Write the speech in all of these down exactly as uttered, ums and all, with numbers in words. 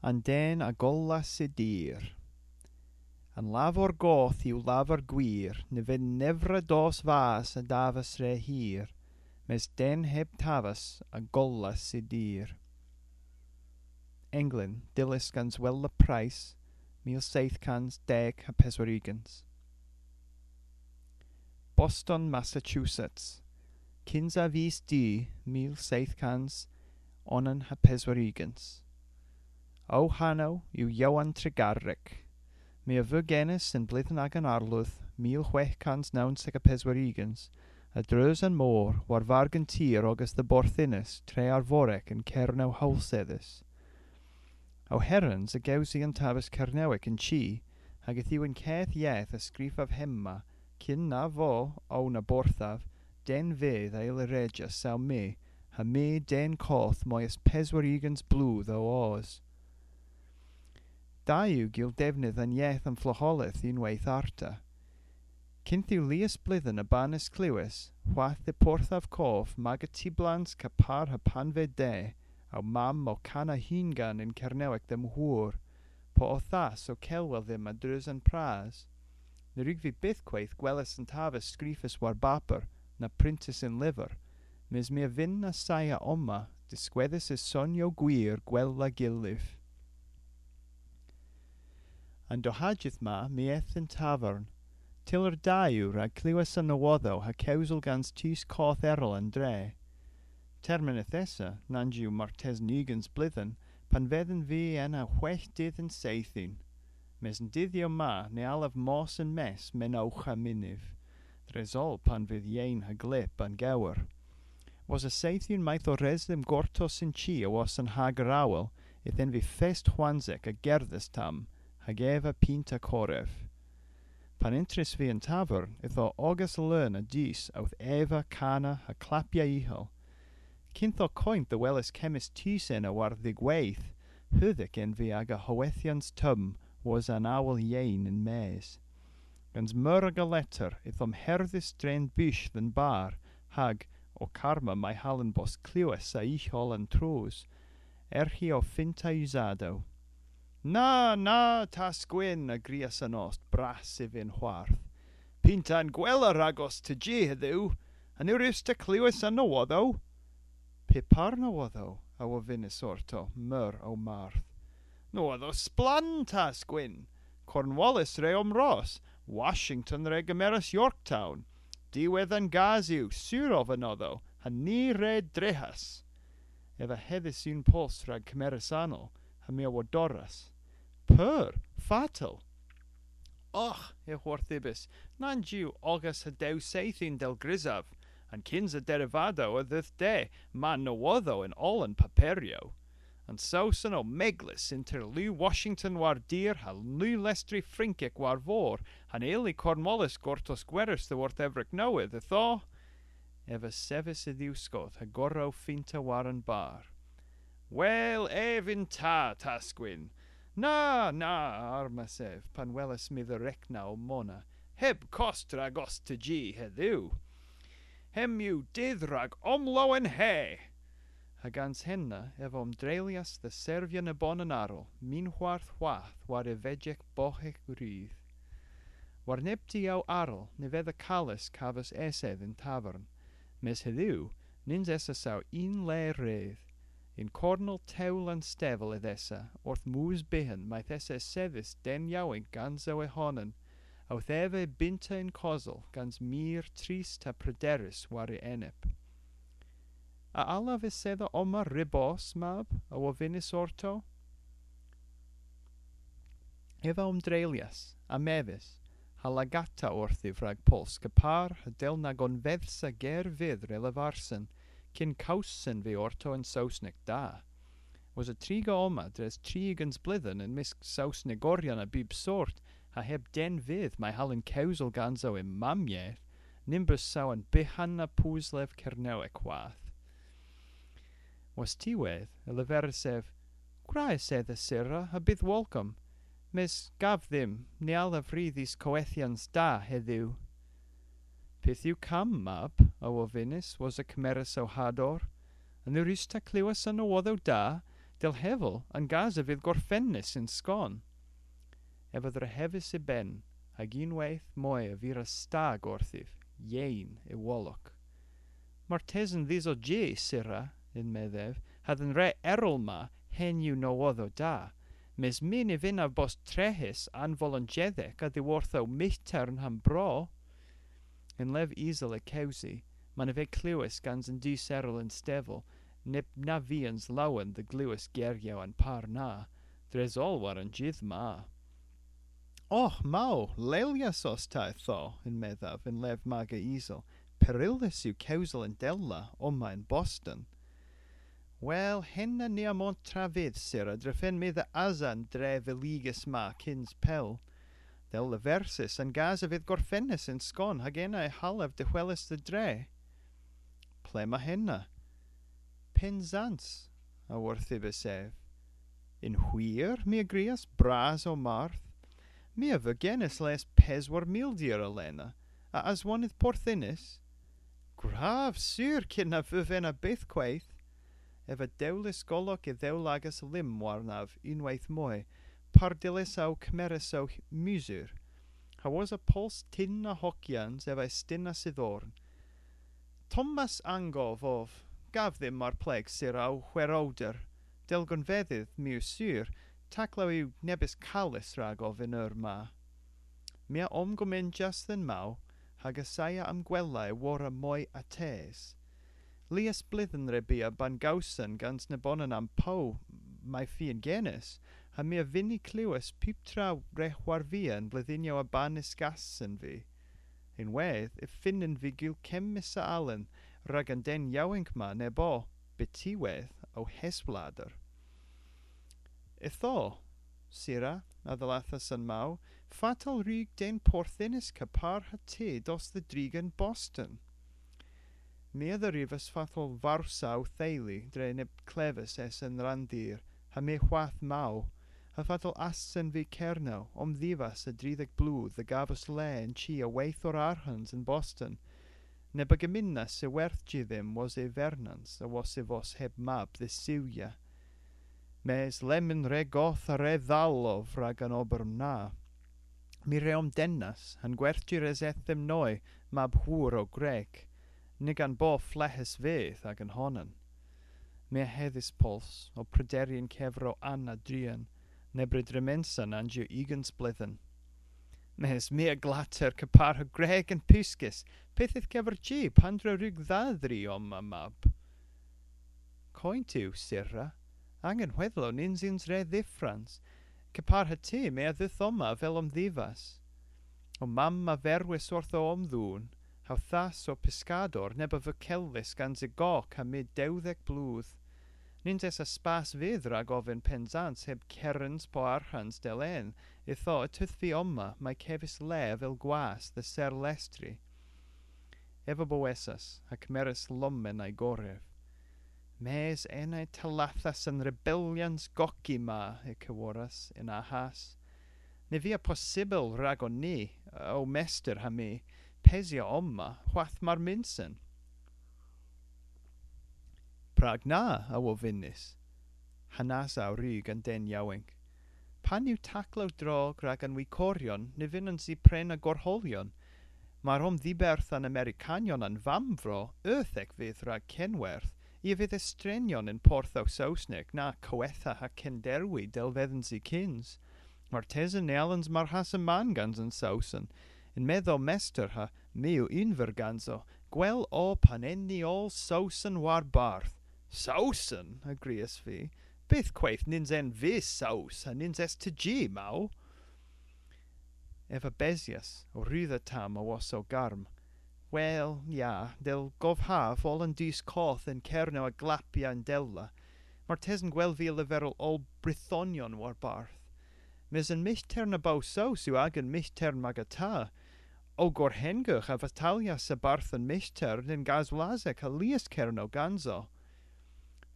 An den a gollas y dir. An lavor goth yw lavor gwir, ny vynn nevra dos vas a davas re hir, mes den heb tavas a gollas y dir. Englyn, dyllys gans Wella Price, mil seyth kans deg ha peswar ugens. Boston, Massachusetts, kynsa vis Du, mil seyth kans onan ha peswar ugens. Ow hanow yw Jowan Tregarrek. My a veu genys yn bledhen agan arlodh, mil hwegh kans nownsek ha peswar ugens, a-dreus an mor, war vargen tir ogas dhe Borthinys, tre Arvorek yn Kernow howlsedhys. Ow herens a gewsi an taves Kernewek yn chi, hag yth yw an keth yeth a skrifav hemma, kyn na vo, ow na borthav, den vyth a yll redya saw my, ha my den koth moy es peswar ugens bloodh ow os. Da yw gul devnydh a'n yeth an flogholeth unnweyth arta. Kynth yw lies bledhen a banas klewes, hwath dhe porthav kov maga tiblans kepar ha pan veu de, ow mamm ow kana hungan yn Kernewek dhe'm hwor, po ow thas ow kelwel dhymm a-dreus an pras. Ny wrug vy bythkweyth gweles an taves skrifys war baper, na pryntys yn lyver, mes my a vynn assaya omma, diskwedhes y sonyow gwir gwella gylliv. An dohajydh ma my eth dhe'n tavern. Tyller da yw rag klewes an nowodhow ha kewsel gans tus koth erel an dre. Termyn yth esa, nans yw martesen ugens bledhen, pan vedhen vy ena hwegh dydh y'n seythin. Mes an dydhyow ma ny allav mos yn-mes menowgh ha mynyv. Dres oll pan vydh yeyn ha glyb an gewer. Wosa seythun mayth o res dhymm gortos yn chi awos an hager awel, yth en vy fest hwansek a gerdhes tamm, hag eva pinta korev. Pan entrys vy y'n tavern, yth o ogas leun a dus owth eva, kana ha klappya ughel. Kynth o koynt dhe weles kemmys tus ena war dhygweydh, heudhek en vy aga howethyans tomm wosa an awel yeyn yn-mes. Gans meur aga letter yth omherdhys dre'n bush dhe'n bar, hag, ow karma may hallen bos klewes a-ugh oll an troos, erghi ow finta usadow. Na, na, Tas Gwynn, a grias an ost, bras y vynn hwarth. Pinta an gwella ragos tegi hedhyw, a ny wrusta klewes an nowodhow? Py par nowodhow? A wovynnas orto, meur ow marth. Nowodhow splann, Tas Gwynn. Cornwallis re omros, Washington re gemeras Yorktown. Diwedh an gas yw, sur ov anodho, ha ni re drehas. Ev a hedhis unn pols rag kemeres anal, ha my a wodorras. Pur, fatel. Och, y hwarthusys, nans yw ogas ha dew seythun dell grysav, an kynsa derivadow a dheuth de, ma nowodhow yn oll an paperyow. An Sowson o meglys ynter Lu Washington war dir ha Lu lestri Frynkek war vor, ha'n eli Cornwallis gortos gweres dhyworth Evrek Nowydh, ytho. Ev a sevis y dhiwskoth ha gorra ow finta war an bar. Wel, ev yn ta, Tas Gwynn. Na, na, armas ev, pan welas my dha rekna ow mona, heb kost ragos tegi hedhyw. Hemm yw dydh rag omlowenhe! Ha gans henna ev a omdreylyas dhe servya nebonan arall, minhwarth hwath war y vejek boghek rudh. War neb diow arall ny vedha kales kavos esedh y'n tavern, mes hedhyw nyns esa saw unn le rydh. Yn kornel tewlel an stevel yth esa, orth moos byghan mayth esa esedhys den yowynk ganso y honan, owth eva binta yn kosel gans mir trist ha prederus war y enep. A allav esedha omma ri bos, mab? A wovynnas orto. Ev a omdreylyas, a mevys, ha lagatta orthiv rag pols kepar ha dell na gonvedhsa ger vydh re leversen, kyn kowsen vy orto yn Sowsnek da. Wosa triga omma dres tri ugens bledhen yn mysk Sowsnegoryon a bub sort, ha heb den vydh may hallen kewsel ganso yn mammyeth, nyns eus saw an byghanna puslev Kernewek hwath. Wostiwedh, y leveris ev, gwra esedha, syrra, ha bydh wolkom, mes gav dhymm, ny allav ri dhis kowethyans da hedhyw. Pyth yw kamm, mab? A wovynnas, wosa kemeres ow hador. A ny wrusta klewes an nowodhow da? Dell hevel, an gas a vydh gorfennys yn skon. Ev a dhrehevas y benn, hag unnweyth moy a viras stag orthiv, yeyn y wolok. Martesen dhis o jy, syrra, yn-medh ev, ha dhe'n re erel ma, henn yw nowodhow da, mes my ny vynnav bos trehys anvolonjedhek a-dhyworth ow mythtern ha'm bro. Yn lev isel y kewsi, ma'n veu klewys gans an dus erel y'n stevel, neb na vyns lowen dhe glewes geryow an par na, dres oll war an jydh ma. "Ogh, maw, lelyas os ta ytho," yn-medh ev yn lev maga isel. "Peryllus yw kewsel yndella, omma yn Boston." "Wel, henna ni a montra vyth, syrra, drefen my dhe asa an dre villiges ma kyns pell. Dell leversys, an gas a vydh gorfennys yn skon, hag ena y hallav dehweles dhe dre." "Ple'ma henna?" "Pennsans," a worthybis ev. "Yn hwir?" my a grias, bras ow marth. "My a veu genys les peswar mildir alena, a aswonydh Porthinys?" "Gwrav, sur, kyn na veu henna bythkweyth." Ev a dewlis golok y dhewlagas lymm warnav unnweyth moy, par dyllesa ow kemeres ow musur. Ha wosa pols tynn a hokyans ev a ystynnas y dhorn. "Tommas Angov ov, gav dhymm mar pleg, syrra, ow hwerowder, dell gonvedhydh, my yw sur, taklow yw nebes kales ragov y'n eur ma." My a omgomenjas dhe'n maw, hag assaya a'm gwella y worra moy attes. Lies bledhen re bia ba'n gowsen gans nebonan a'm pow may fien genys, ha my a vynni klewes puptra re hwarvia y'n bledhynyow a banegas vy. Ynwedh, y fynn vy gul kemmys a alen rag an den yowynk ma nebonan, byttiwedh, ow heswlader. "Ytho, syrra," a dhallathas an maw, "fatel wrug den Porthinys kepar ha ty dos dhe driga yn Boston?" My a dherivas fatel vowsa ow theylu dre neb klevys esa y'n randir, ha my hwath maw, ha fatel assen vy Kernow, omdhivas a dridhek bloodh, dhe gavos le y'n chi a weyth orth arghans yn Boston, neb a geminnas y werthji dhymm wosa y vernans, awos y vos heb mab dhe siwya. Mes lemmyn re goth ha re dhall ov rag an ober na. My re omdennas, ha'n gwerthji res eth dhymm noy, mab hwor o Grek, nag an bo fleghes vyth agan honan. My a hedhis pols, ow prederi yn kever ow anna drian, neb re dremensa nans yw ugens bledhen. Mes my a glatter kepar ha Grek an puskes, pyth eth kever jy, pandr'a wrug dha dhri omma, mab? Koynt yw, syrra, angen hwedhlow nyns yns re dhyffrans, kepar ha ty my a dheuth omma avel omdhivas. Ow mamm a verwis orth ow omdhoon, ha'w thas ow pyskador, neb a veu kellys gans y gok ha my dewdhek bloodh. Nyns esa spas vyth rag oven Pennsans heb kerens po arghans dell en, ytho y teuth vy omma, may kevis le avel gwas dhe serlestri. Ev a bowesas, ha kemeras lommen a'y gorev. Mes ena y tallathas an rebellyans goki ma, y keworras, yn aghas. Ny via possybyl ragon ni, ow mester ha my, pesya omma, hwath mar mynnsen. Prag na, a wovynnas? Ha'n asa a wrug an den yowynk. Pan yw taklow drog rag an wikoryon, ny vynnons i prena gorholyon. Mar omdhiberth an Amerikanyon a'n vammvro, euthek vydh rag kenwerth, i a vydh estrenyon yn porthow Sowsnek, na kowetha ha kenderwi dell vedhons i kyns. Martesen ny allons marghasa mann gans an Sowson. Yn-medh ow mester ha my yw unn ver ganso, gwell o pan en ni oll Sowson warbarth. Sowson, a grias vy. Bythkweyth nyns en vy Sows, ha nyns es ta jy, maw. Ev a besyas, ow rudha tamm awos ow garm. Wel, ya, dell govhav oll an dus koth yn Kernow a glappya yndella. Martesen gwell via leverel oll Brythonyon warbarth. Mes an mythtern a bo Sows yw agan mythtern magata. Ow gorhengogh a vatalyas a-barth an mythtern yn Gas Wlasek ha lies Kernow ganso.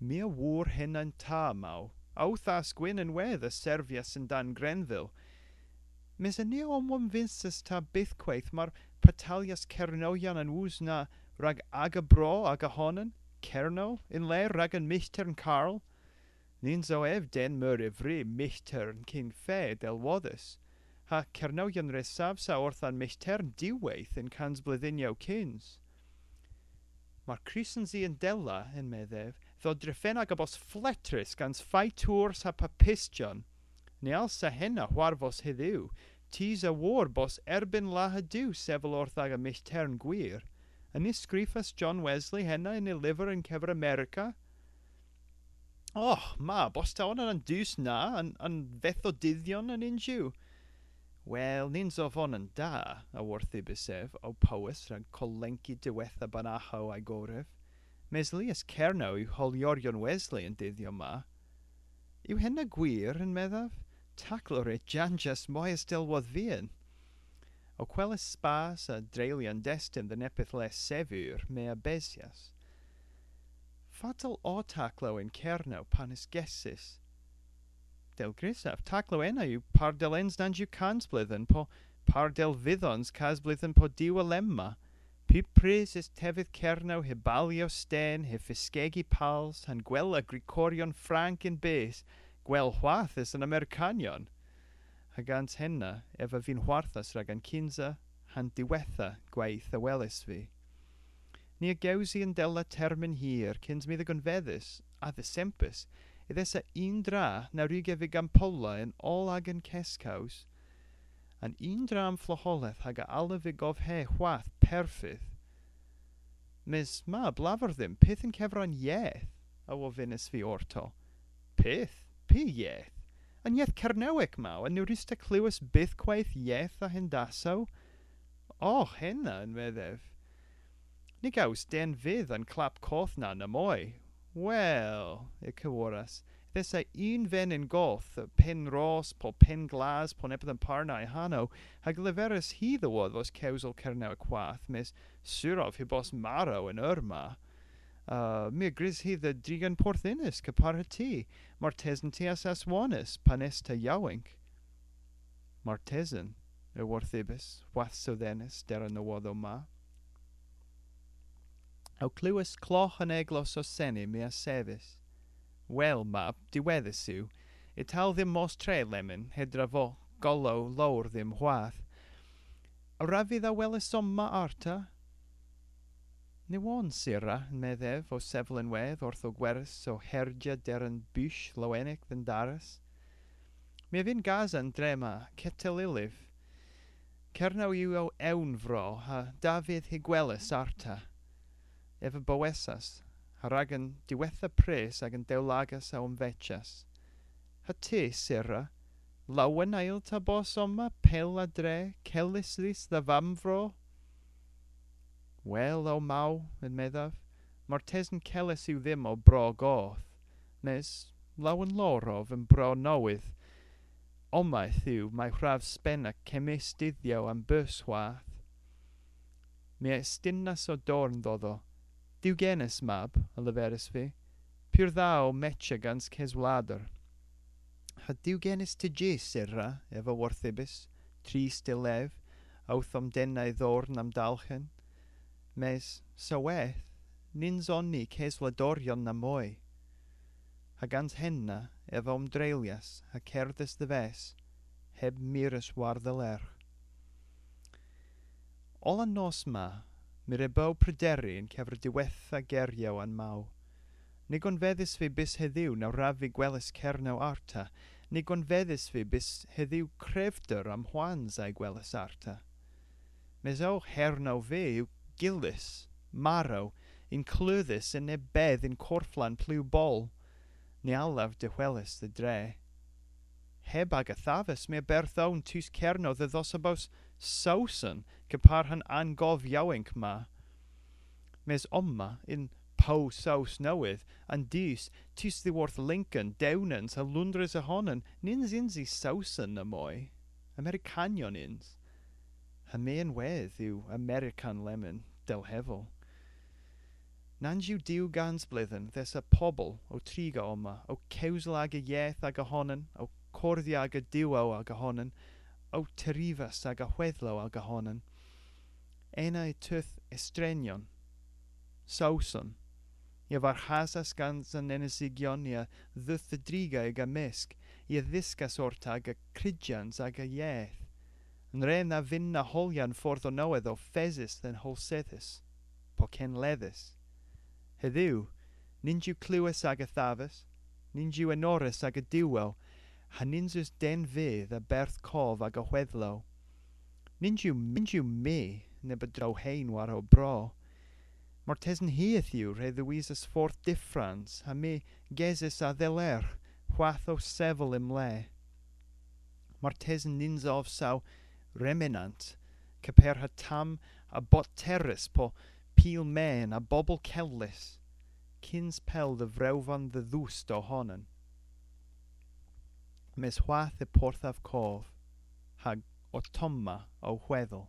My a wor henna yn ta, maw. Ow thas gwynn ynwedh a servyas yn-dann Grenville. Mes a ny omwonvynsis ta bythkweyth mar patalyas Kernowyon an woos na rag aga bro aga honan, Kernow, yn le rag an mythtern Karl? Nyns o ev den meur y vri myhtern kyn fe dell wodhes, ha Kernowyon re savsa orth an myhtern diwweyth yn kansbledhynnyow kyns. Mar krysons i yndella, yn-medh ev, dhodrefenna aga bos flettrys gans faytours ha papistyon. Ny allsa henna hwarvos hedhyw, tus a wor bos erbynn Lahad Duw sevel orth aga myhtern gwir. A ny skrifas John Wesley henna yn y lyver yn kever Amerika? Oh, ma, bos ta onan an dus na, an, an Vethodydhyon an yns yw? Wel, nyns ov onan da, a worthibis ev, ow powes rag kollenki diwettha banahow a gorev. Mes lies Kernow yw holyoryon Wesley y'n dydhyow ma. Yw henna gwir, yn-medh ev? Taklow re janjyas moy es dell wodh vyghan. Ow kweles spas a dreylya an desten dhe neppyth le sevur, my a besyas. Fatel o taklow yn Kernow pan ysgesys? Dell grysav, taklow ena yw par dell ens nans yw kansbledhen, po par dell vydhons kasbledhen po diw alemma. Pub prys es tevydh Kernow hy balyow sten, hy fyskegi pals, ha'n gwella grikoryon frank y'n bys, gwell hwath es an Amerikanyon. Ha gans henna, ev a vynn hwarthus rag an kynsa, ha'n diwettha gweyth a welis vy. Ni a gewsi yndella termyn hir, kyns my dhe gonvedhes, a dhesempis, yth esa unn dra na wrug ev y gampolla yn oll agan keskows. An unn dra an flogholeth hag a allav y govhe hwath perfydh. Mes ma, blavar dhymm, pyth yn kever an yeth, a wovynnas vy orto. Pyth? Py yeth? An yeth Kernewek ma, a ny wruss'ta klewes bythkweyth yeth a hendasow? O, henna, yn-medh ev. Ny gews den vyth an klap koth na namoy. Wel, y keworras, yth esa unn venyn goth, Penn Ros, po Penn Glas, po neppyth a'n par na y hanow, hag a leveris hi dhe wodhvos kewsel Kernewek hwath, mes sur ov hy bos marow y'n eur ma. Uh, my a grys hi dhe drigan Porth Ynys, kepar ha ty, martesen ty a'th aswonys, pan es ta yowynk. Martesen, y worthibis, hwath sodhenys der an nowodhow ma. Ow klewes klogh an eglos ow seni, my a sevis. Wel, mab, diwedhys yw. Y tal dhymm mos tre lemmyn, hedra vo golow lowr dhymm hwath. A wrav vy dha weles omma arta? Ny wonn, syrra, yn-medh ev, ow sevel ynwedh, orth ow gweres ow herja der an bush lowenek dhe'n daras. My a vynn gasa an dre ma, kettel ylliv. Kernow yw ow ewn vro, ha da vydh hy gweles arta. Ev a bowesas, ha rag an diwettha prys agan dewlagas a omvejas. Ha ty, syrra, lawen a yll'ta bos omma pell a dre, kellys dhis dha vammvro? Wel, ow maw, yn-medh ev, martesen kellys yw dhymm ow bro goth, mes lawen lowr ov an bro nowydh. Omma yth yw may hwrav spena kemmys dydhyow a'm beus hwath. My a estynnas ow dorn dhodho. Duw genys, mab, a leveris vy. Pur dha ow mecha gans keswlader. Ha Duw genys ty jy, syrra, ev a worthibis, trist y lev, owth omdenna y dhorn a'm dalghen. Mes, soweth, nyns on ni keswladoryon namoy. Ha gans henna, ev a omdreylyas, ha kerdhas dhe-ves, heb mires war dha lergh. Oll an nos ma, my re bo prederi yn kever diwettha geryow an maw. Ny gonvedhys vy bys hedhyw na wrav vy gweles Kernow arta, ny gonvedhys vy bys hedhyw krevder a'm hwans a'y gweles arta. Mes ow hernow vy yw gyllys, marow, ynkleudhys yn nebes yn korflan plu boll. Ny allav dehweles dhe dre. Heb aga thavas, my a berth own tus Kernow dhe dhos ha bos Sowson, kepar ha'n angov yowynk ma. Mes omma, yn Pow Sows Nowydh, an dus, tus dhyworth Lincoln, Dewnans, ha Loundres y honan, nyns yns i Sowson namoy. Amerikanyon yns. Ha my ynwedh yw Amerikan lemmyn, dell hevel. Nans yw diw gans bledhen, yth esa pobel ow triga omma, ow kewsel aga yeth aga honan, ow kordhya aga diwyow aga honan, ow terivas aga hwedhlow aga honan. Ena y teuth estrenyon. Sowson. I a varghasas gans an enesigyon i a dheuth dhe driga y'ga mysk, i a dhyskas orta aga kryjyans aga yeth. An re na vynn na holya an fordh ow nowydh o fesys dhe'n howlsedhes, po kenledhys. Hedhyw, nyns yw klewys aga thavas, nyns yw enorys aga diwwel, ha nyns eus den vyth a berth kov aga hwedhlow. Nyns yw, nyns yw my neb a dro heyn war ow bro. Martesen hi yth yw re dhewisas fordh dyffrans, ha my gesys a-dhelergh hwath ow sevel y'm le. Martesen nyns ov saw remenant, kepar ha tamm a botterys po pil men a bobel kewlys, kyns pell dhe vrewvan dhe dhoust ow honan. Mes hwath y porthav kov, hag ottomma ow hwedhel.